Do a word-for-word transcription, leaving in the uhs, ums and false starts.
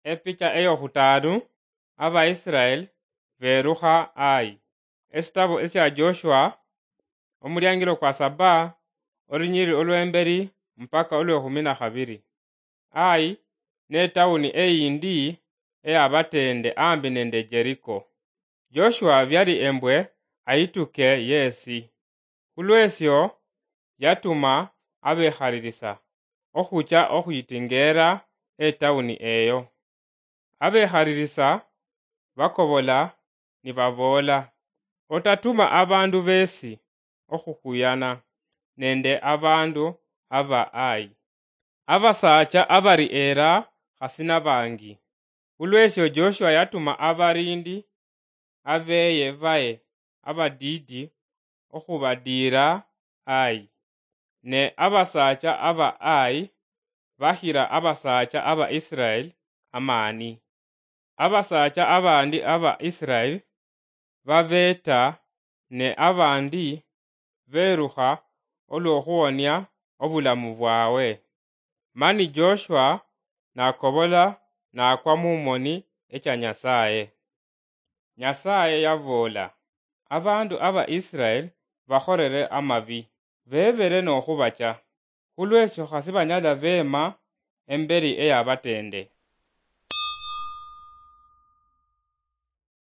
Epicha eyokhutaanu, Abaisiraeli beerukha Ai. Esitabu esya Joshua, omuliangilo kwa saba, olunyiriri olw'emberi mpaka olw'ekhumi na khabiri. Ai ne tawuni eyindi eyabateende ambi nende Jeriko. Joshua byali embwe ayituke yeesi. Khulwesyo yatuma abekhalirisa okhucha okhuyitingeera etawuni eyo. Abekhalirisa bakobola nibaboola, "Otatuma abandu beesi okhukhuyana nende abandu aba Ai. Abasaacha abari era khasi nabangi." Khulwesyo Joshua yatuma abarindi abeye baye abadiidi okhubadiira Ai. Ne abasaacha aba Ai bahira abasaacha aba Isiraeli amaani. Abasaacha abandi aba Isiraeli babeeta, ne abandi beerukha olw'okhuwonia obulamu bwawe. Mani Joshua nakobola nakwa mu moni echa Nyasaye. Nyasaye yaboola, "Abandu aba Isiraeli bakholere amabi, bebere nokhubacha. Khulwesyo khasi banyala beema emberi eyabateende."